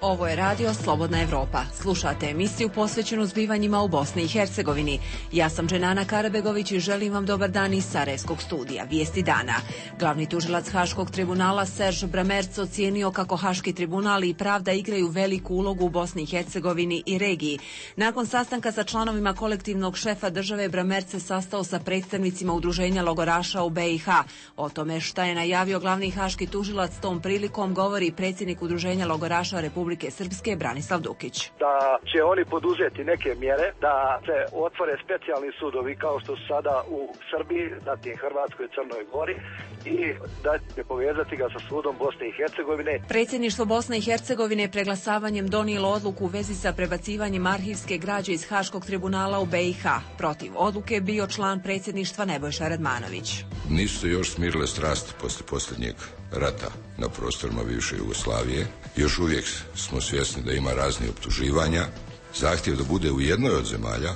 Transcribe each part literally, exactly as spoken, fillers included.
Ovo je radio Slobodna Evropa. Slušate emisiju posvećenu zbivanjima u Bosni i Hercegovini. Ja sam Dženana Karabegović i želim vam dobar dan iz Sarajevskog studija. Vijesti dana. Glavni tužilac Haškog tribunala Serž Bramerc ocijenio kako Haški tribunal i pravda igraju veliku ulogu u Bosni i Hercegovini i regiji. Nakon sastanka sa članovima kolektivnog šefa države, Bramerc se sastao sa predstavnicima udruženja logoraša u B i H. O tome šta je najavio glavni haški tužilac tom prilikom govori predsjednik udruženja logoraša Republike Srpske Branislav Dukić. Da će oni poduzeti neke mjere, da se otvore specijalni sudovi kao što su sada u Srbiji, zatim Hrvatskoj i Crnoj Gori i da će povezati ga sa sudom Bosne i Hercegovine. Predsjedništvo Bosne i Hercegovine preglasavanjem donijelo odluku u vezi sa prebacivanjem arhivske građe iz Haškog tribunala u B i H. Protiv odluke bio član predsjedništva Nebojša Radmanović. Nisu se još smirile strasti poslije posljednjeg rata na prostorima bivše Jugoslavije. Još uvijek smo svjesni da ima raznih optuživanja. Zahtjev da bude u jednoj od zemalja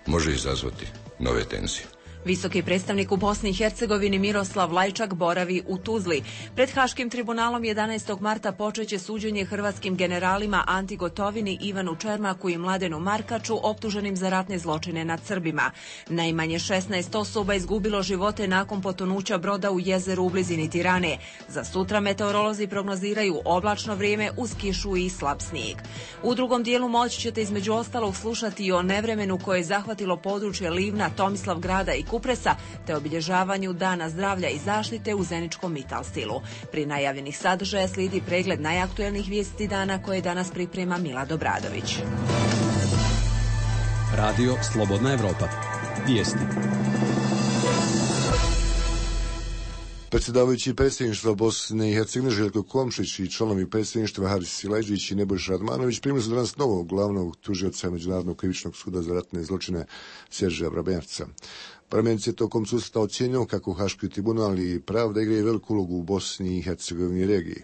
može izazvati nove tenzije. Visoki predstavnik u Bosni i Hercegovini Miroslav Lajčak boravi u Tuzli. Pred Haškim tribunalom jedanaestog marta počeće suđenje hrvatskim generalima Anti Gotovini, Ivanu Čermaku i Mladenu Markaču optuženim za ratne zločine nad Srbima. Najmanje šesnaest osoba izgubilo živote nakon potonuća broda u jezeru u blizini Tirane. Za sutra meteorolozi prognoziraju oblačno vrijeme uz kišu i slab snijeg. U drugom dijelu moći ćete između ostalog slušati i o nevremenu koje je zahvatilo područje Livna, Tomislavgrada i Kupresa, te obilježavanju Dana zdravlja i zaštite u Zeničkom Mital stilu. Pri najavljenih sadržaja slijedi pregled najaktuelnijih vijesti dana koje danas priprema Milad Obradović. Radio Slobodna Evropa. Vijesti. Predsjedavajući predsjedništva Bosne i Hercegovine Željko Komšić i članovi predsjedništva Haris Silajdžić i Nebojša Radmanović primili su danas novog glavnog tužioca Međunarodnog krivičnog suda za ratne zločine Serža Bramerca. Bramerc je tokom susreta ocijenio kako Haški tribunal i pravda igraju veliku ulogu u Bosni i Hercegovini i regiji.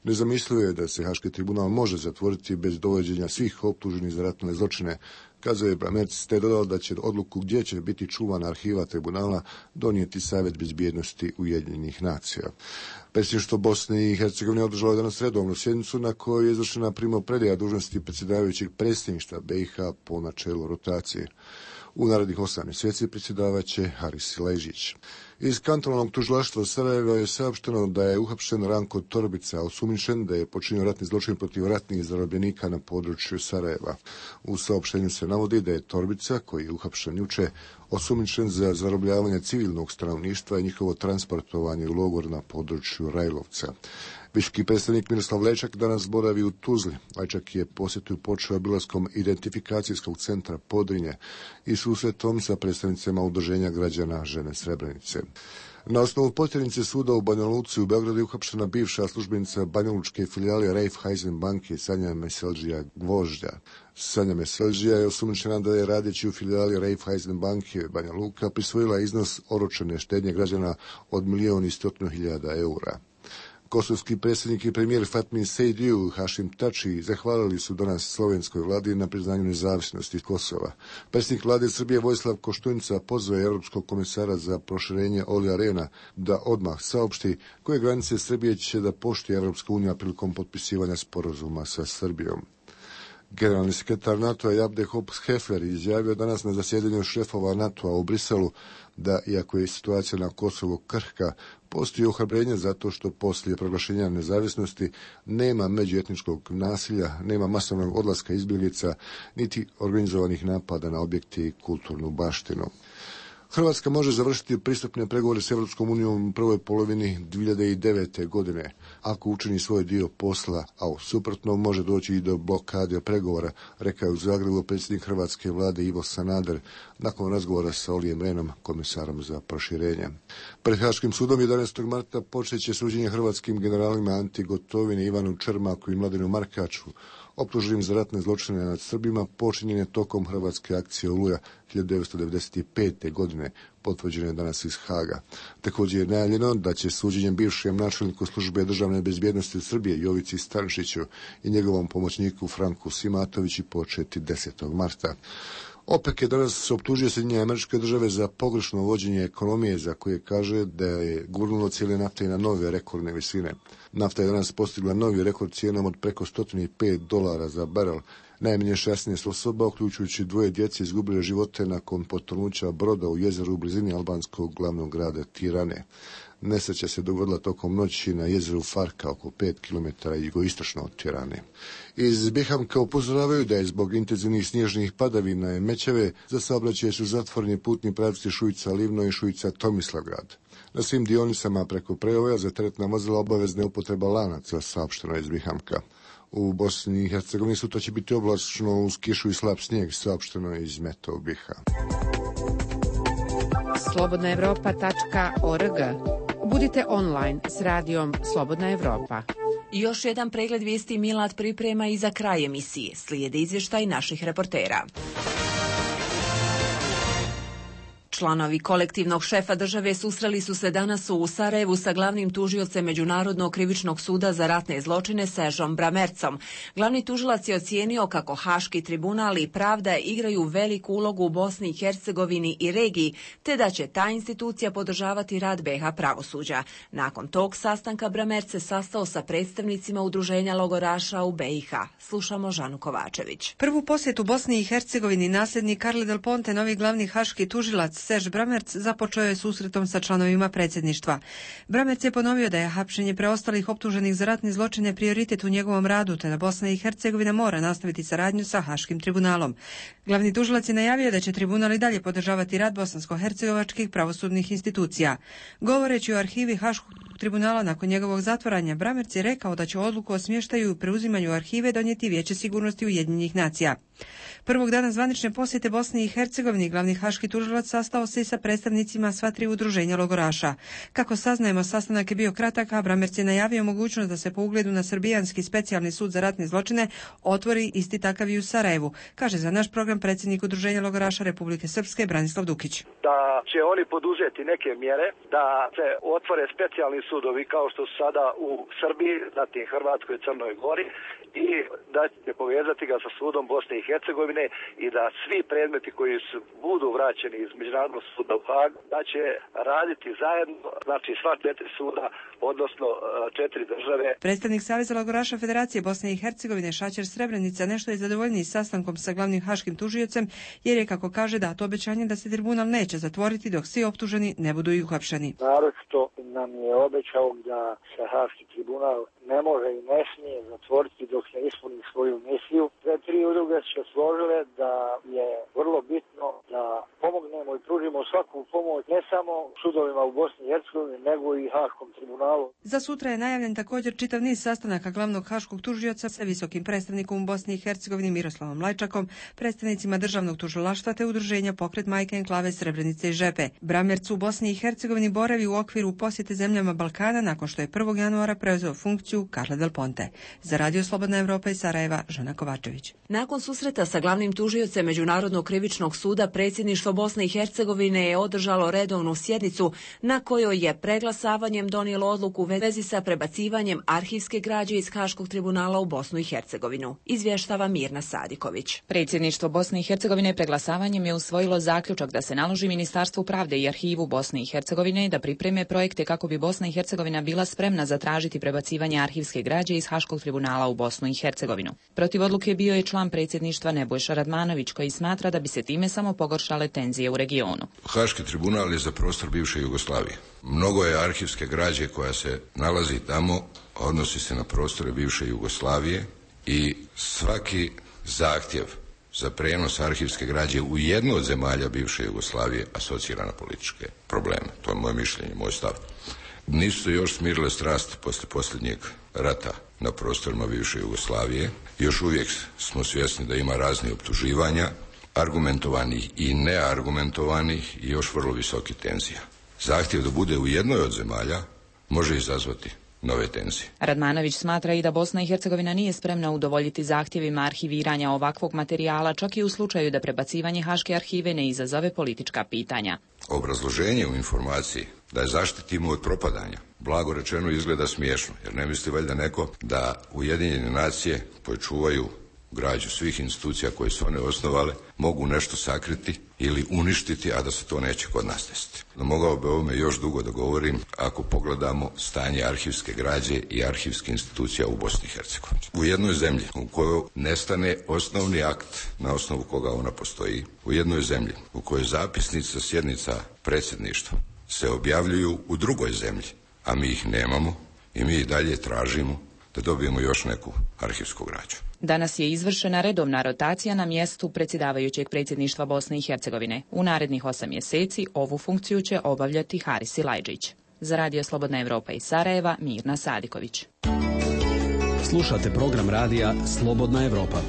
Nezamislivo je da se Haški tribunal može zatvoriti bez dovođenja svih optuženih za ratne zločine, kazao je Bramerc, te dodao da će odluku gdje će biti čuvana arhiva tribunala donijeti Savjet bezbjednosti Ujedinjenih nacija. Predsjedništvo Bosne i Hercegovine održalo je danas redovnu sjednicu na kojoj je izvršena primopredaja dužnosti predsjedavajućeg predsjedništva B i H po načelu rotacije. U narednih osam mjeseci predsjedavaće Haris Silajdžić. Iz kantonalnog tužilaštva Sarajeva je saopšteno da je uhapšen Ranko Torbica, osumnjičen da je počinio ratni zločin protiv ratnih zarobljenika na području Sarajeva. U saopštenju se navodi da je Torbica, koji je uhapšen juče, osumnjičen za zarobljavanje civilnog stanovništva i njihovo transportovanje u logor na području Rajlovca. Viški predstavnik Miroslav Lajčak danas boravi u Tuzli. Lajčak je posjetu počeo obilaskom identifikacijskog centra Podrinje i susretom sa predstavnicima udruženja građana Žene Srebrenice. Na osnovu potjernice suda u Banja Luci u Beogradu je uhapšena bivša službenica banjalučke filijale Raiffeisen banke Sanja Meseldžija Gvožđa. Sanja Meseldžija je osumnjičena da je radeći u filijali Raiffeisen banke Banja Luka prisvojila iznos oročene štednje građana od milijun i stotinu hiljada eura. Kosovski predsjednik i premijer Fatmin Sejdiu Hašim Tači zahvalili su danas slovenskoj vladi na priznanju nezavisnosti Kosova. Predsjednik vlade Srbije Vojislav Koštunica pozvao je Europskog komisara za proširenje Olija Rehna da odmah saopšti koje granice Srbije će da poštuje Europska unija prilikom potpisivanja sporazuma sa Srbijom. Generalni sekretar NATO-a Jabde Hops-Hefler izjavio danas na zasjedanju šefova NATO-a u Briselu da, iako je situacija na Kosovu krhka, postoji ohrabrenje zato što poslije proglašenja nezavisnosti nema međuetničkog nasilja, nema masovnog odlaska izbjeglica, niti organizovanih napada na objekte i kulturnu baštinu. Hrvatska može završiti pristupne pregovore s Europskom unijom u prvoj polovini dvije hiljade devete. godine, ako učini svoj dio posla, a u suprotnom može doći i do blokade pregovora, rekao je u Zagrebu predsjednik hrvatske vlade Ivo Sanader nakon razgovora sa Olijem Rehnom, komisarom za proširenje. Pred Haškim sudom jedanaestog marta počeće suđenje hrvatskim generalima Anti Gotovini, Ivanu Čermaku i Mladenu Markaču, optuženim za ratne zločine nad Srbima, počinjene tokom hrvatske akcije Oluja hiljadu devetsto devedeset pete. godine, potvrđeno je danas iz Haga. Također je najavljeno da će suđenjem bivšem načelniku službe državne bezbjednosti Srbije Jovici Stanšiću i njegovom pomoćniku Franku Simatoviću početi desetog marta. OPEC je danas optužio Sjedinjene Američke Države za pogrešno vođenje ekonomije, za koje kaže da je gurnulo cijene nafte i na nove rekordne visine. Nafta je danas postigla novi rekord cijenom od preko sto pet dolara za barel. Najmanje šesnaest osoba, uključujući dvoje djece, izgubile živote nakon potonuća broda u jezeru u blizini albanskog glavnog grada Tirane. Nesreća se dogodila tokom noći na jezeru Farka, oko pet kilometara jugoistočno od Tirane. Iz Bihamka upozoravaju da je zbog intenzivnih snježnih padavina i mećave za saobraćaj su zatvoreni putni pravci Šujica-Livno i Šujica-Tomislavgrad. Na svim dionicama preko prevoja za teretna vozila obavezna je upotreba lanaca, saopšteno iz Bihamka. U Bosni i Hercegovini sutra će biti oblačno uz kišu i slab snijeg, saopšteno iz Meto Biha. slobodna evropa tačka org. Budite online s radijom Slobodna Evropa. Još jedan pregled vijesti Milad priprema i za kraj emisije. Slijede izvještaj naših reportera. Članovi kolektivnog šefa države susreli su se danas u Sarajevu sa glavnim tužiocem Međunarodnog krivičnog suda za ratne zločine Seržom Bramercom. Glavni tužilac je ocijenio kako Haški tribunal i pravda igraju veliku ulogu u Bosni i Hercegovini i regiji, te da će ta institucija podržavati rad be ha pravosuđa. Nakon tog sastanka Bramerc se sastao sa predstavnicima udruženja logoraša u be i ha. Slušamo Žanu Kovačević. Prvu posjetu Bosni i Hercegovini nasljednik Carle Del Ponte, novi glavni haški tužilac Serž Bramerc, započeo je susretom sa članovima predsjedništva. Bramerc je ponovio da je hapšenje preostalih optuženih za ratne zločine prioritet u njegovom radu, te da Bosna i Hercegovina mora nastaviti saradnju sa Haškim tribunalom. Glavni tužilac je najavio da će tribunal i dalje podržavati rad bosansko-hercegovačkih pravosudnih institucija. Govoreći o arhivi Haškog tribunala nakon njegovog zatvaranja, Bramerc je rekao da će odluku o smještaju i preuzimanju arhive donijeti Vijeće sigurnosti Ujedinjenih nacija. Prvog dana zvanične posjete Bosni i Hercegovini glavni haški tužilac sastao se i sa predstavnicima sva tri udruženja logoraša. Kako saznajemo, sastanak je bio kratak, a Bramerc je najavio mogućnost da se po ugledu na Srbijanski specijalni sud za ratne zločine otvori isti takav i u Sarajevu, kaže za naš program predsjednik udruženja logoraša Republike Srpske Branislav Dukić. Da će oni poduzeti neke mjere, da se otvore specijalni sudovi kao što su sada u Srbiji, zatim Hrvatskoj i Crnoj Gori, i da će povezati ga sa sudom Bosne i Hercegovine i da svi predmeti koji su, budu vraćeni iz Međunarodnog suda u Hag, da će raditi zajedno, znači sva četiri suda, odnosno četiri države. Predstavnik Saveza logoraša Federacije Bosne i Hercegovine Šaćer Srebrenica nešto je zadovoljniji sastankom sa glavnim haškim tužiocem, jer je, kako kaže, dato obećanje da se tribunal neće zatvoriti dok svi optuženi ne budu i uhapšeni. Naročito nam je obećao da se Haški tribunal ne može i ne smije zatvoriti dok ne ispuni svoju misiju. Sve tri udruge su složile da je vrlo bitno da pomognemo i pružimo svaku pomoć ne samo sudovima u Bosni i Hercegovini, nego i Haškom tribunalu. Za sutra je najavljen također čitav niz sastanaka glavnog haškog tužioca sa visokim predstavnikom u Bosni i Hercegovini Miroslavom Lajčakom, predstavnicima državnog tužilaštva te udruženja Pokret Majke Enklave Srebrenice i Žepe. Bramerc u Bosni i Hercegovini boravi u okviru posjete zemljama Balkana nakon što je prvog januara preuzeo funkciju Carle Del Ponte. Za Radio Slobodna Evropa iz Sarajeva, Žana Kovačević. Nakon susreta sa glavnim tužiocem Međunarodnog krivičnog suda, predsjedništvo Bosne i Hercegovine je održalo redovnu sjednicu na kojoj je preglasavanjem donijelo odluku u vezi sa prebacivanjem arhivske građe iz Haškog tribunala u Bosnu i Hercegovinu. Izvještava Mirna Sadiković. Predsjedništvo Bosne i Hercegovine preglasavanjem je usvojilo zaključak da se naloži Ministarstvu pravde i arhivu Bosne i Hercegovine da pripreme projekte kako bi Bosna i Hercegovina bila spremna zatražiti prebacivanje arhivske građe iz Haškog tribunala u Bosnu i Hercegovinu. Protiv odluke bio je član predsjedništva Nebojša Radmanović, koji smatra da bi se time samo pogoršale tenzije u regionu. Haški tribunal je za prostor bivše Jugoslavije. Mnogo je arhivske građe koja se nalazi tamo, odnosi se na prostore bivše Jugoslavije i svaki zahtjev za prenos arhivske građe u jednu od zemalja bivše Jugoslavije asocira na političke probleme. To je moje mišljenje, moj stav. Nisu se još smirile strasti poslije posljednjeg rata na prostorima bivše Jugoslavije. Još uvijek smo svjesni da ima raznih optuživanja, argumentovanih i neargumentovanih i još vrlo visoke tenzija. Zahtjev da bude u jednoj od zemalja može izazvati nove tenzije. Radmanović smatra i da Bosna i Hercegovina nije spremna udovoljiti zahtjevima arhiviranja ovakvog materijala, čak i u slučaju da prebacivanje Haške arhive ne izazove politička pitanja. Obrazloženje u informaciji da je zaštitimo od propadanja, blago rečeno, izgleda smiješno, jer ne misli valjda neko da Ujedinjene nacije koje čuvaju građu svih institucija koje su one osnovale, mogu nešto sakriti ili uništiti, a da se to neće kod nas desiti. No, mogao bi ovome još dugo da govorim ako pogledamo stanje arhivske građe i arhivske institucija u Bosni i Hercegovini. U jednoj zemlji u kojoj nestane osnovni akt na osnovu koga ona postoji, u jednoj zemlji u kojoj zapisnici sa sjednica predsjedništva se objavljuju u drugoj zemlji, a mi ih nemamo i mi i dalje tražimo da dobijemo još neku arhivsku građu. Danas je izvršena redovna rotacija na mjestu predsjedavajućeg predsjedništva Bosne i Hercegovine. U narednih osam mjeseci ovu funkciju će obavljati Haris Silajdžić. Za Radio Slobodna Evropa iz Sarajeva, Mirna Sadiković. Slušate program radija Slobodna Evropa.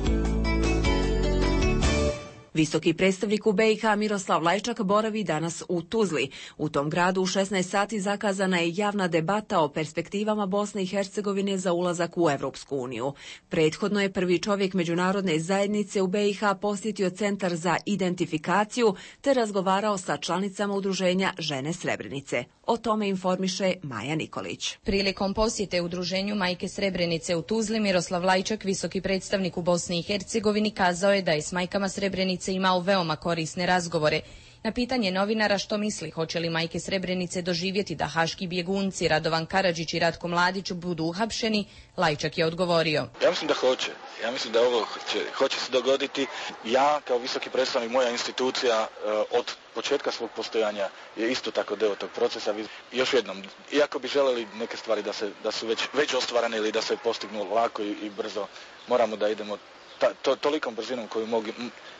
Visoki predstavnik u B i H Miroslav Lajčak boravi danas u Tuzli. U tom gradu u šesnaest sati zakazana je javna debata o perspektivama Bosne i Hercegovine za ulazak u Evropsku uniju. Prethodno je prvi čovjek međunarodne zajednice u B i H posjetio Centar za identifikaciju te razgovarao sa članicama udruženja Žene Srebrenice. O tome informiše Maja Nikolić. Prilikom posjete udruženju Majke Srebrenice u Tuzli, Miroslav Lajčak, visoki predstavnik u Bosni i Hercegovini, kazao je da je s majkama Srebrenice imao veoma korisne razgovore. Na pitanje novinara što misli, hoće li majke Srebrenice doživjeti da haški bjegunci Radovan Karadžić i Ratko Mladić budu uhapšeni, Lajčak je odgovorio. Ja mislim da hoće. Ja mislim da ovo će, hoće se dogoditi. Ja kao visoki predstavnik, moja institucija od početka svog postojanja je isto tako deo tog procesa. Još jednom, iako bi želeli neke stvari da, se, da su već, već ostvarene ili da se postignu lako i, i brzo, moramo da idemo Ta, to, tolikom brzinom koju mogu,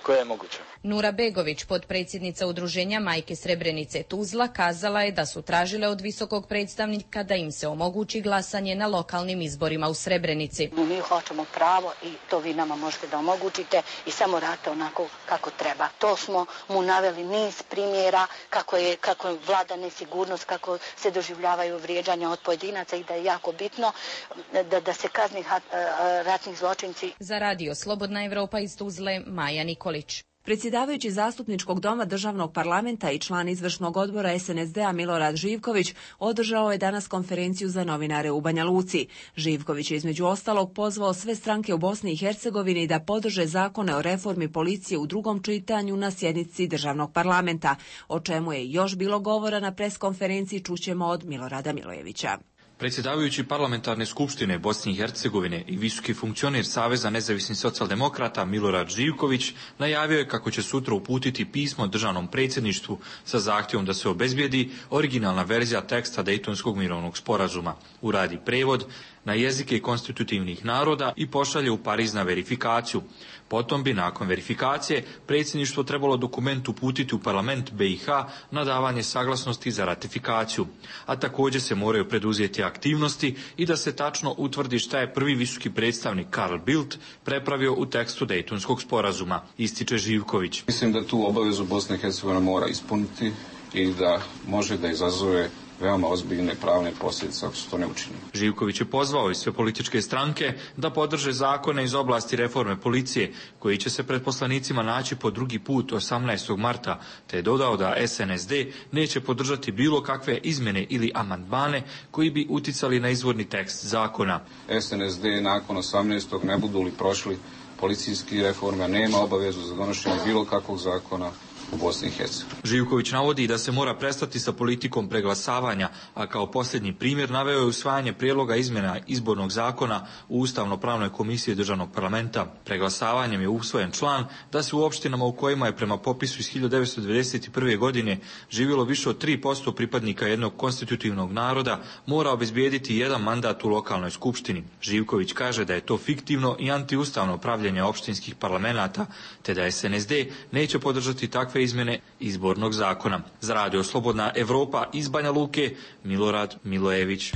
koja je moguća. Nura Begović, potpredsjednica udruženja Majke Srebrenice Tuzla, kazala je da su tražile od visokog predstavnika da im se omogući glasanje na lokalnim izborima u Srebrenici. Mi hoćemo pravo i to vi nama možete da omogućite i samo radite onako kako treba. To smo mu naveli niz primjera kako je, kako je vlada nesigurnost, kako se doživljavaju vrijeđanja od pojedinaca i da je jako bitno da, da se kazni ratnih zločinci. Za Radio Slobodna Evropa iz Tuzle, Maja Nikolić. Predsjedavajući zastupničkog doma državnog parlamenta i član izvršnog odbora S N S D-a Milorad Živković održao je danas konferenciju za novinare u Banja Luci. Živković je između ostalog pozvao sve stranke u Bosni i Hercegovini da podrže zakone o reformi policije u drugom čitanju na sjednici državnog parlamenta, o čemu je još bilo govora na preskonferenciji, čućemo od Milorada Milojevića. Predsjedavajući parlamentarne skupštine Bosne i Hercegovine i visoki funkcioner Saveza nezavisnih socijaldemokrata Milorad Živković najavio je kako će sutra uputiti pismo državnom predsjedništvu sa zahtjevom da se obezbijedi originalna verzija teksta Dejtonskog mirovnog sporazuma, uradi prevod na jezike konstitutivnih naroda i pošalje u Pariz na verifikaciju. Potom bi nakon verifikacije predsjedništvo trebalo dokument uputiti u parlament B i H na davanje saglasnosti za ratifikaciju, a također se moraju preduzeti aktivnosti i da se tačno utvrdi šta je prvi visoki predstavnik Carl Bildt prepravio u tekstu Dejtonskog sporazuma, ističe Živković. Mislim da tu obavezu Bosna i Hercegovina mora ispuniti i da može da izazove veoma ozbiljne pravne posljedice ako se to ne učini. Živković je pozvao i sve političke stranke da podrže zakone iz oblasti reforme policije, koji će se pred poslanicima naći po drugi put osamnaestog marta, te je dodao da S N S D neće podržati bilo kakve izmjene ili amandmane koji bi uticali na izvorni tekst zakona. S N S D nakon osamnaestog ne budu li prošli policijski reforme, nema obavezu za donošenje bilo kakvog zakona u Bosni i Hercegovini. Živković navodi da se mora prestati sa politikom preglasavanja, a kao posljednji primjer naveo je usvajanje prijedloga izmjena izbornog zakona u Ustavno-pravnoj komisiji državnog parlamenta. Preglasavanjem je usvojen član da se u opštinama u kojima je prema popisu iz hiljadu devetsto devedeset prve. godine živjelo više od tri posto pripadnika jednog konstitutivnog naroda mora obezbijediti jedan mandat u lokalnoj skupštini. Živković kaže da je to fiktivno i antiustavno pravljenje opštinskih parlamenata, te da S N S D neće podržati takve izmjene izbornog zakona. Za Radio Slobodna Evropa iz Banja Luke, Milorad Milojević.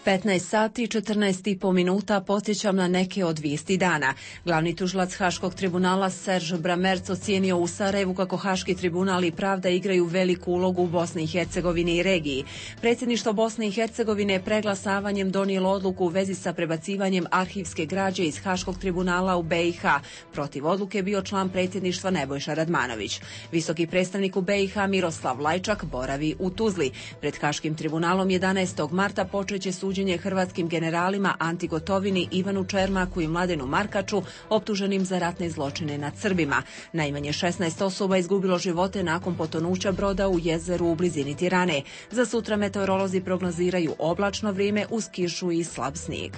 petnaest sati i četrnaest i po minuta podsjećam na neke od vijesti dana. Glavni tužilac Haškog tribunala Serž Bramerc ocijenio u Sarajevu kako Haški tribunal i pravda igraju veliku ulogu u Bosni i Hercegovini i regiji. Predsjedništvo Bosne i Hercegovine preglasavanjem donijelo odluku u vezi sa prebacivanjem arhivske građe iz Haškog tribunala u B i H. Protiv odluke je bio član predsjedništva Nebojša Radmanović. Visoki predstavnik u B i H Miroslav Lajčak boravi u Tuzli. Pred Haškim tribunalom jedanaestog marta počeće suđenje suđenje hrvatskim generalima Anti Gotovini, Ivanu Čermaku i Mladenu Markaču, optuženim za ratne zločine nad Srbima. Najmanje šesnaest osoba izgubilo živote nakon potonuća broda u jezeru u blizini Tirane. Za sutra meteorolozi prognoziraju oblačno vrijeme uz kišu i slab snijeg.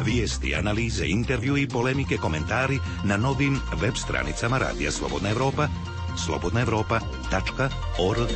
Vijesti, analize, intervju i polemike, komentari na novim web stranicama Radija Slobodna Evropa, slobodna evropa tačka org.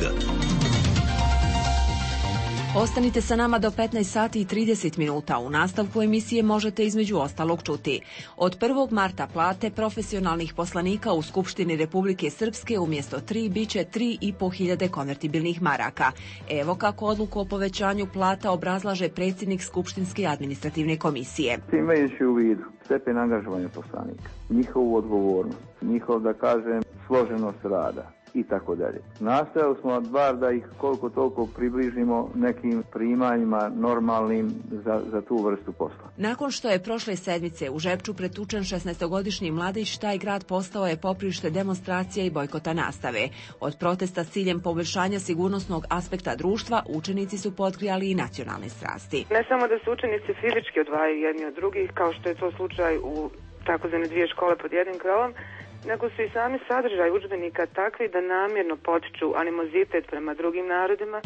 Ostanite sa nama do petnaest sati i trideset minuta. U nastavku emisije možete između ostalog čuti. Od prvog marta plate profesionalnih poslanika u Skupštini Republike Srpske umjesto tri biće tri i po hiljade konvertibilnih maraka. Evo kako odluku o povećanju plata obrazlaže predsjednik Skupštinske administrativne komisije. Imajući u vidu stepen angažovanja poslanika, njihovu odgovornost, njihov, da kažem, složenost rada i tako dalje. Nastojali smo bar da ih koliko toliko približimo nekim primanjima normalnim za, za tu vrstu posla. Nakon što je prošle sedmice u Žepču pretučen šesnaestogodišnji mladić, taj grad postao je poprište demonstracija i bojkota nastave. Od protesta s ciljem poboljšanja sigurnosnog aspekta društva učenici su potkrijali i nacionalne strasti. Ne samo da se učenici fizički odvajaju jedni od drugih, kao što je to slučaj u takozvane dvije škole pod jednim krovom, nego su i sami sadržaj udžbenika takvi da namjerno potiču animozitet prema drugim narodima.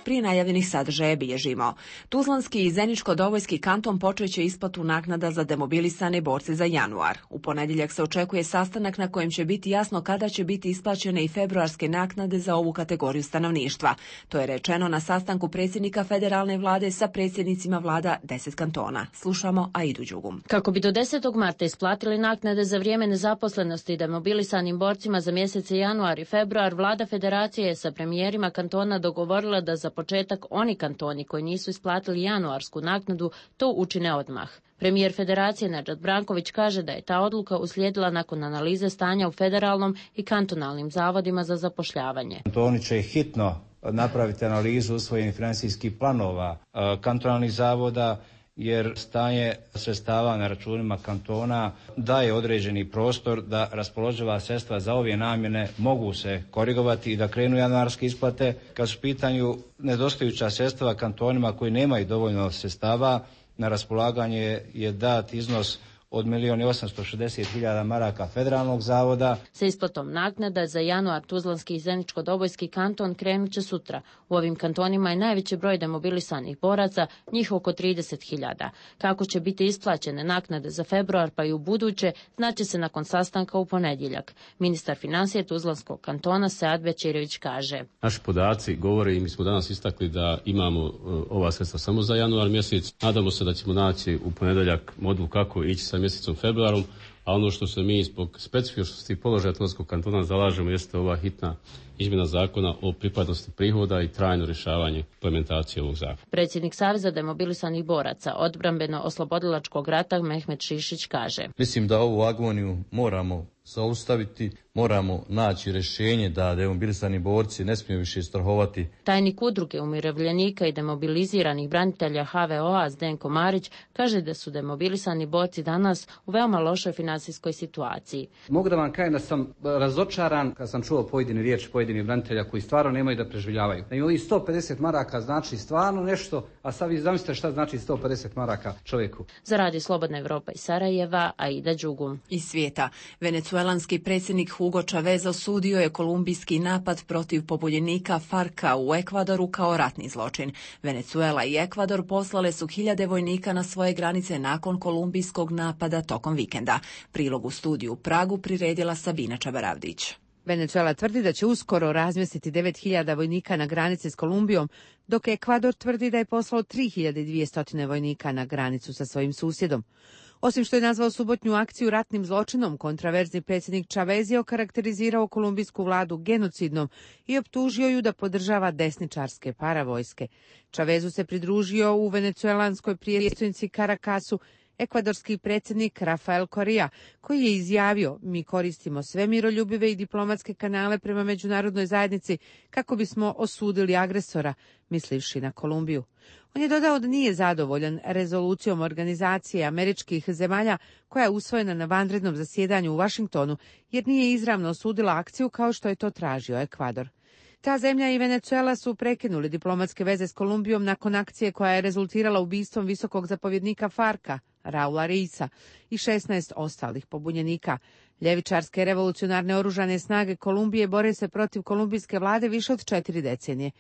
Prije najavljenih sadržaja bilježimo. Tuzlanski i Zeničko-Dobojski kanton počeće isplatu naknada za demobilisane borce za januar. U ponedjeljak se očekuje sastanak na kojem će biti jasno kada će biti isplaćene i februarske naknade za ovu kategoriju stanovništva. To je rečeno na sastanku predsjednika federalne vlade sa predsjednicima vlada deset kantona. Slušamo Aidu Đugum. Kako bi do desetog marta isplatili naknade za vrijeme nezaposlenosti demobilisanim borcima za mjesece januar i februar, vlada federacije je sa premijerima kantona dogovorila da za početak oni kantoni koji nisu isplatili januarsku naknadu to učine odmah. Premijer federacije Nedžad Branković kaže da je ta odluka uslijedila nakon analize stanja u federalnom i kantonalnim zavodima za zapošljavanje. Kantoni će hitno napraviti analizu usvojenih financijskih planova kantonalnih zavoda, jer stanje sredstava na računima kantona daje određeni prostor da raspoloživa sredstva za ove namjene mogu se korigovati i da krenu januarske isplate. Kad su u pitanju nedostajuća sredstva kantonima koji nemaju dovoljno sredstava, na raspolaganje je dat iznos od milijun i osamsto šezdeset hiljada maraka federalnog zavoda. Sa isplatom naknada za januar Tuzlanski i Zeničko-Dobojski kanton krenut će sutra. U ovim kantonima je najveći broj demobilisanih boraca, njih oko trideset hiljada. Kako će biti isplaćene naknade za februar pa i u buduće, znaće se nakon sastanka u ponedjeljak. Ministar financije Tuzlanskog kantona Sead Bećirović kaže. Naši podaci govore i mi smo danas istakli da imamo ova sredstva samo za januar mjesec. Nadamo se da ćemo naći u ponedjeljak modul kako ići sa mjesecom februarom, a ono što se mi zbog specifičnosti položaja Tuzlanskog kantona zalažemo jeste ova hitna izmjena zakona o pripadnosti prihoda i trajno rješavanje implementacije ovog zakona. Predsjednik Saveza demobilisanih boraca odbrambeno-oslobodilačkog rata Mehmet Šišić kaže. Mislim da ovu agoniju moramo zaustaviti, moramo naći rješenje da demobilisani borci ne smiju više strahovati. Tajnik udruge umirovljenika i demobiliziranih branitelja H V O A Zdenko Marić kaže da su demobilisani borci danas u veoma lošoj financijskoj situaciji. Mogu da vam kažem da sam razočaran kad sam čuo pojedine riječi pojedinih branitelja koji stvarno nemaju da preživljavaju. Da im ovih sto pedeset maraka znači stvarno nešto, a sad vi zamislite šta znači sto pedeset maraka čovjeku. Za Radio Slobodna Evropa iz Sarajeva, Aida Đugum. Iz svijeta. Venecuelanski predsjednik Hugo Chavez osudio je kolumbijski napad protiv pobunjenika Farka u Ekvadoru kao ratni zločin. Venecuela i Ekvador poslale su hiljade vojnika na svoje granice nakon kolumbijskog napada tokom vikenda. Prilog u studiju u Pragu priredila Sabina Čabaravdić. Venecuela tvrdi da će uskoro razmjestiti devet hiljada vojnika na granici s Kolumbijom, dok Ekvador tvrdi da je poslao tri hiljade dvjesto vojnika na granicu sa svojim susjedom. Osim što je nazvao subotnju akciju ratnim zločinom, kontraverzni predsjednik Chavez je okarakterizirao kolumbijsku vladu genocidnom i optužio ju da podržava desničarske paravojske. Chavezu se pridružio u venecuelanskoj prijestolnici Caracasu ekvadorski predsjednik Rafael Correa, koji je izjavio: mi koristimo sve miroljubive i diplomatske kanale prema međunarodnoj zajednici kako bismo osudili agresora, mislivši na Kolumbiju. On je dodao da nije zadovoljan rezolucijom organizacije američkih zemalja koja je usvojena na vanrednom zasjedanju u Vašingtonu, jer nije izravno osudila akciju kao što je to tražio Ekvador. Ta zemlja i Venezuela su prekinuli diplomatske veze s Kolumbijom nakon akcije koja je rezultirala ubistvom visokog zapovjednika Farka, Raula Reisa, i šesnaest ostalih pobunjenika. Ljevičarske revolucionarne oružane snage Kolumbije bore se protiv kolumbijske vlade više od četiri decenije.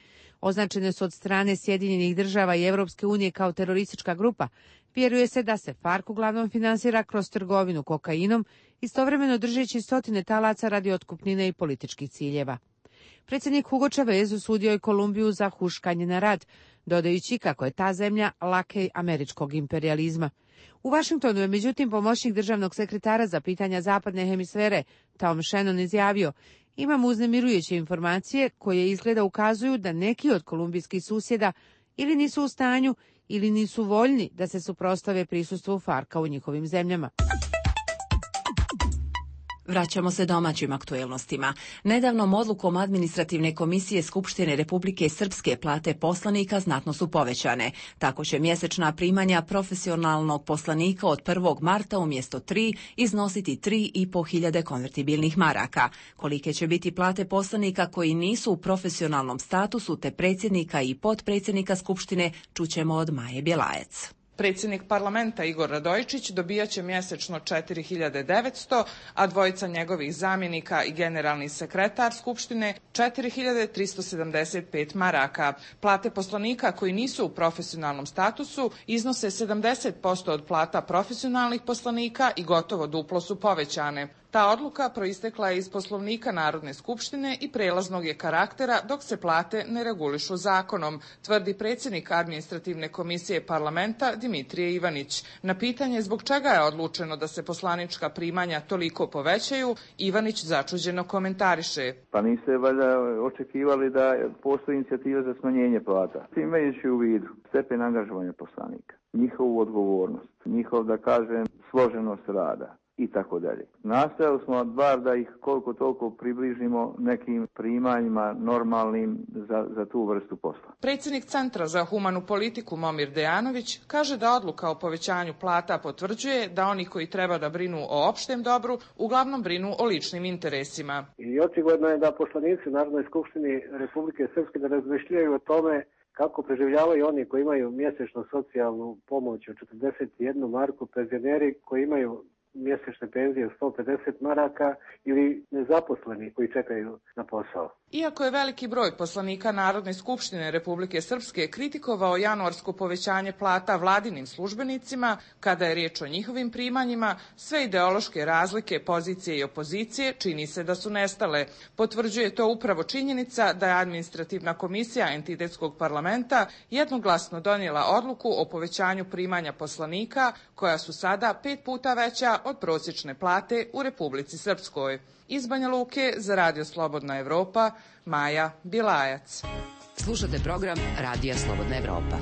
Označene su od strane Sjedinjenih država i Europske unije kao teroristička grupa. Vjeruje se da se FARC uglavnom finansira kroz trgovinu kokainom, istovremeno držeći stotine talaca radi otkupnine i političkih ciljeva. Predsjednik Hugo Chavez osudio je Kolumbiju za huškanje na rat, dodajući kako je ta zemlja lakej američkog imperijalizma. U Vašingtonu je međutim pomoćnik državnog sekretara za pitanja zapadne hemisfere Tom Shannon izjavio: imamo uznemirujuće informacije koje izgleda ukazuju da neki od kolumbijskih susjeda ili nisu u stanju ili nisu voljni da se suprotstave prisustvu Farka u njihovim zemljama. Vraćamo se domaćim aktuelnostima. Nedavnom odlukom Administrativne komisije Skupštine Republike Srpske plate poslanika znatno su povećane. Tako će mjesečna primanja profesionalnog poslanika od prvog marta umjesto tri iznositi tri i po hiljade konvertibilnih maraka. Kolike će biti plate poslanika koji nisu u profesionalnom statusu te predsjednika i potpredsjednika Skupštine čućemo od Maje Bjelajac. Predsjednik parlamenta Igor Radojičić dobijat će mjesečno četiri hiljade devetsto, a dvojica njegovih zamjenika i generalni sekretar Skupštine četiri hiljade tristo sedamdeset pet maraka. Plate poslanika koji nisu u profesionalnom statusu iznose sedamdeset posto od plata profesionalnih poslanika i gotovo duplo su povećane. Ta odluka proistekla je iz Poslovnika Narodne skupštine i prelaznog je karaktera dok se plate ne regulišu zakonom, tvrdi predsjednik Administrativne komisije parlamenta Dimitrije Ivanić. Na pitanje zbog čega je odlučeno da se poslanička primanja toliko povećaju, Ivanić začuđeno komentariše. Pa niste valjda očekivali da postoji inicijativa za smanjenje plata. Imajući u vidu stepen angažovanja poslanika, njihovu odgovornost, njihov, da kažem, složenost rada i tako dalje. Nastojali smo bar da ih koliko toliko približimo nekim primanjima normalnim za, za tu vrstu posla. Predsjednik Centra za humanu politiku Momir Dejanović kaže da odluka o povećanju plata potvrđuje da oni koji treba da brinu o opštem dobru uglavnom brinu o ličnim interesima. I očigledno je da poslanici u Narodnoj skupštini Republike Srpske da razmišljaju o tome kako preživljavaju oni koji imaju mjesečno socijalnu pomoć od četrdeset jednu marku, penzioneri koji imaju mjesečne penzije sto pedeset maraka ili nezaposleni koji čekaju na posao. Iako je veliki broj poslanika Narodne skupštine Republike Srpske kritikovao januarsko povećanje plata vladinim službenicima, kada je riječ o njihovim primanjima, sve ideološke razlike, pozicije i opozicije čini se da su nestale. Potvrđuje to upravo činjenica da je Administrativna komisija entitetskog parlamenta jednoglasno donijela odluku o povećanju primanja poslanika, koja su sada pet puta veća od prosječne plate u Republici Srpskoj. Iz Banja Luke za Radio Slobodna Evropa, Maja Bjelajac. Slušate program Radija Slobodna Evropa.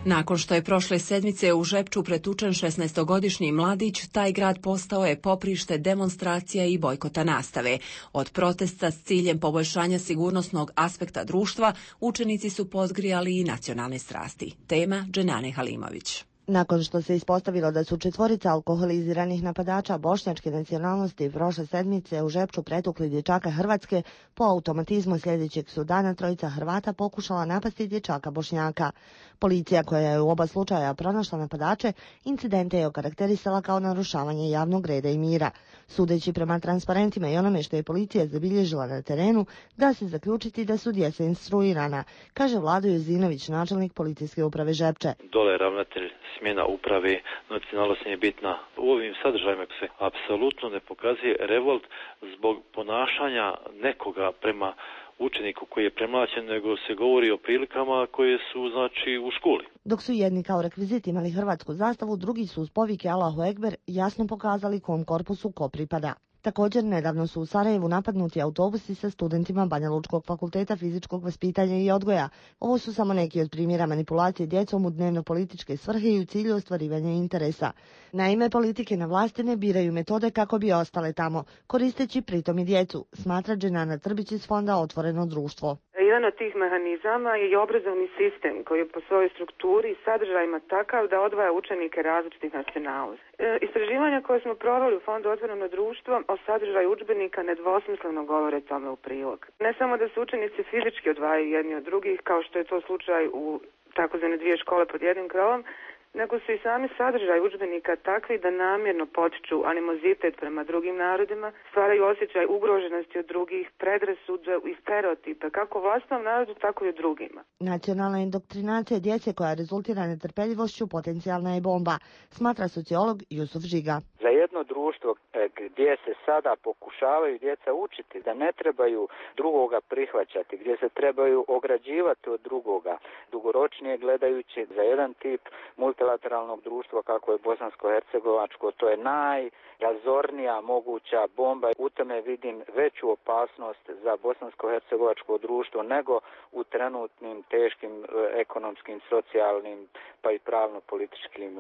Nakon što je prošle sedmice u Žepču pretučen šesnaestogodišnji mladić, taj grad postao je poprište demonstracija i bojkota nastave. Od protesta s ciljem poboljšanja sigurnosnog aspekta društva, učenici su podgrijali i nacionalne strasti. Tema Dženane Halimović. Nakon što se ispostavilo da su četvorica alkoholiziranih napadača bošnjačke nacionalnosti prošle sedmice u Žepču pretukli dječaka Hrvatske, po automatizmu sljedećeg su dana trojica Hrvata pokušala napasti dječaka Bošnjaka. Policija koja je u oba slučaja pronašla napadače, incidente je okarakterisala kao narušavanje javnog reda i mira. Sudeći prema transparentima i onome što je policija zabilježila na terenu, da se zaključiti da su djeca instruirana, kaže Vlado Jozinović, načelnik policijske uprave Žepče. Dole je ravnatelj smjena uprave, nacionalnost nije bitna. U ovim sadržajima se apsolutno ne pokazuje revolt zbog ponašanja nekoga prema učeniku koji je premlaćen, nego se govori o prilikama koje su, znači, u školi. Dok su jedni kao rekvizit imali hrvatsku zastavu, drugi su uz povike Allahu Ekber jasno pokazali kom korpusu ko pripada. Također, nedavno su u Sarajevu napadnuti autobusi sa studentima Banja Lučkog fakulteta fizičkog vaspitanja i odgoja. Ovo su samo neki od primjera manipulacije djecom u dnevno-političke svrhe i u cilju ostvarivanja interesa. Naime, politike na vlasti ne biraju metode kako bi ostale tamo, koristeći pritom i djecu, smatra Dženana Trbić iz fonda Otvoreno društvo. Jedan od tih mehanizama je i obrazovni sistem koji je po svojoj strukturi i sadržajima takav da odvaja učenike različitih nacionalnosti. E, istraživanja koje smo proveli u fondu Otvoreno društvo o sadržaju udžbenika nedvosmisleno govore tome u prilog. Ne samo da se učenici fizički odvajaju jedni od drugih, kao što je to slučaj u takozvane dvije škole pod jednim krovom, nego su i sami sadržaj udžbenika takvi da namjerno potiču animozitet prema drugim narodima, stvaraju osjećaj ugroženosti od drugih, predrasude i stereotipe, kako u vlastnom narodu, tako i u drugima. Nacionalna indoktrinacija djece koja rezultira netrpeljivošću potencijalna je bomba, smatra sociolog Jusuf Žiga. Za jedno društvo gdje se sada pokušavaju djeca učiti da ne trebaju drugoga prihvaćati, gdje se trebaju ograđivati od drugoga, dugoročnije gledajući za jedan tip multilateralnog društva kako je bosansko-hercegovačko, to je najrazornija moguća bomba. U tome vidim veću opasnost za bosansko-hercegovačko društvo nego u trenutnim teškim ekonomskim, socijalnim pa i pravno-političkim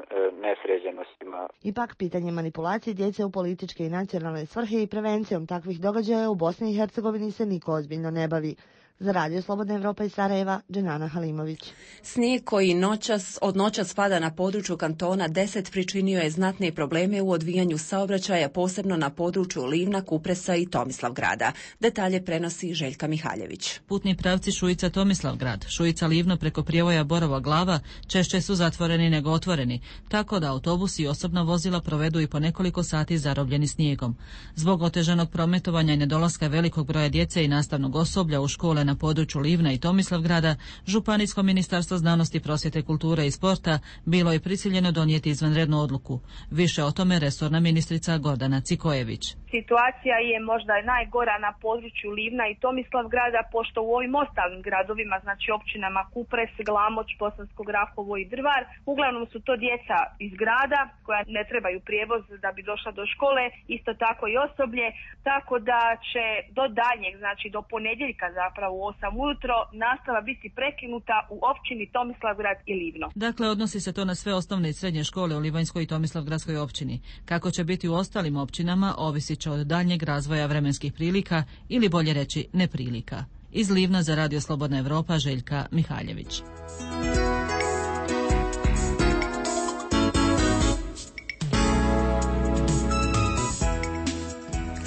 nesređenostima. Ipak pitanje manipulacije djece u političke i nacionalne svrhe i prevencijom takvih događaja u Bosni i Hercegovini se niko ozbiljno ne bavi. Za Radio Slobodna Evropa iz Sarajeva, Dženana Halimović. Snijeg koji noćas, od noćas pada na području kantona deset pričinio je znatne probleme u odvijanju saobraćaja, posebno na području Livna, Kupresa i Tomislavgrada. Detalje prenosi Željka Mihaljević. Putni pravci Šujica Tomislavgrad, Šujica Livno preko prijevoja Borova Glava češće su zatvoreni nego otvoreni, tako da autobusi i osobna vozila provedu i po nekoliko sati zarobljeni snijegom. Zbog otežanog prometovanja i nedolaska velikog broja djece i nastavnog osoblja u škole na području Livna i Tomislavgrada, Županijsko ministarstvo znanosti, prosvjete, kulture i sporta bilo je prisiljeno donijeti izvanrednu odluku. Više o tome resorna ministrica Gordana Cikojević. Situacija je možda najgora na području Livna i Tomislavgrada, pošto u ovim ostalim gradovima, znači općinama Kupres, Glamoč, Bosansko Grahovo i Drvar, uglavnom su to djeca iz grada koja ne trebaju prijevoz da bi došla do škole, isto tako i osoblje, tako da će do daljnjeg, znači do ponedjeljka zapravo u osam ujutro nastava biti prekinuta u općini Tomislavgrad i Livno. Dakle, odnosi se to na sve osnovne i srednje škole u Livanjskoj i Tomislavgradskoj općini. Kako će biti u ostalim općinama, ovisi će od daljnjeg razvoja vremenskih prilika ili bolje reći neprilika. Iz Livna za Radio Slobodna Evropa, Željka Mihaljević.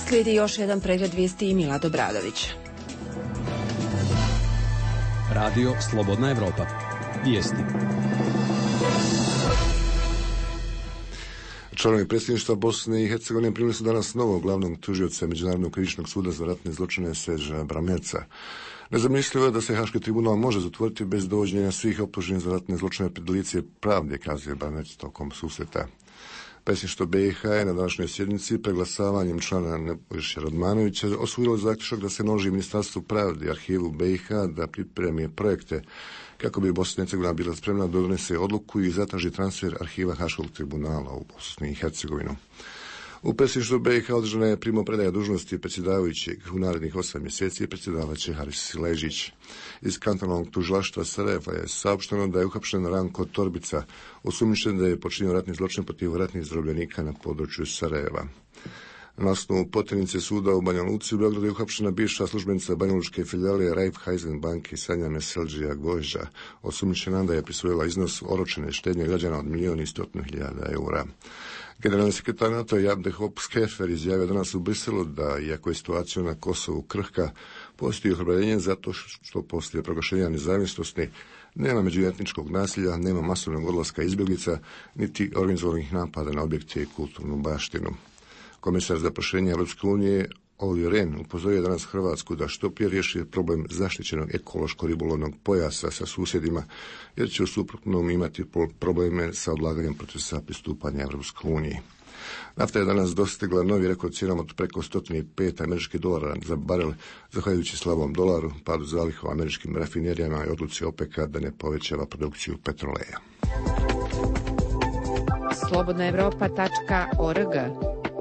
Slijedi još jedan pregled vijesti i Milad Obradović. Radio Slobodna Evropa. Vijesti. Članovi predsjedništva Bosne i Hercegovine primili su danas novog glavnog tužioca Međunarodnog krivičnog suda za ratne zločine Serža Bramerca. Nezamislivo je da se Haški tribunal može zatvoriti bez dovođenja svih optuženih za ratne zločine pred lice pravde, kazuje Bramerc tokom susreta. Predsjedništvo B i H je na današnjoj sjednici preglasavanjem člana Nebojše Radmanovića osvojilo zaključak da se naloži Ministarstvu pravde i arhivu B i H da pripremi projekte kako bi Bosna i Hercegovina bila spremna da donese odluku i zatraži transfer arhiva Haškog tribunala u Bosni i Hercegovinu. U predsjedništvu B i H održana je primopredaja dužnosti predsjedavajućeg u narednih osam mjeseci predsjedavaće Haris Ležić. Iz kantonalnog tužilaštva Sarajeva je saopšteno da je uhapšen Ranko Torbica, osumnjičen da je počinio ratni zločin protiv ratnih zarobljenika na području Sarajeva. Na osnovu potjernice suda u Banja Luci u Beogradu je uhapšena bivša službenica banjalučke filijale Raiffeisen banke Sanja Meseldžija Gojža, osumnjičena da je prisvojila iznos oročene štednje građana od milijun i stotinu hiljada eura. Generalni sekretar NATO Jab de Hoop Scheffer izjavio danas u Briselu da, iako je situacija na Kosovu krhka, postoji ohrabrenje zato što poslije proglašenja nezavisnosti nema međuetničkog nasilja, nema masovnog odlaska izbjeglica, niti organizovanih napada na objekte i kulturnu baštinu. Komisar za proširenje Europske unije Olli Rehn upozorio danas Hrvatsku da što prije riješi problem zaštićenog ekološko-ribolovnog pojasa sa susjedima, jer će u suprotnom imati probleme sa odlaganjem procesa pristupanja Europskoj uniji. Nafta je danas dostigla novi rekord cijenom od preko sto pet američkih dolara za barel, zahvaljujući slabom dolaru, padu zaliha u američkim rafinerijama i odluci OPEC-a da ne povećava produkciju petroleja. slobodna evropa tačka org.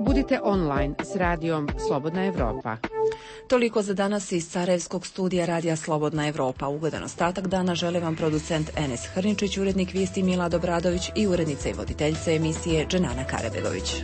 Budite online s radijom Slobodna Evropa. Toliko za danas iz Sarajevskog studija Radija Slobodna Evropa. Ugodan ostatak dana žele vam producent Enes Hrničić, urednik vijesti Milad Obradović i urednica i voditeljica emisije Dženana Karabegović.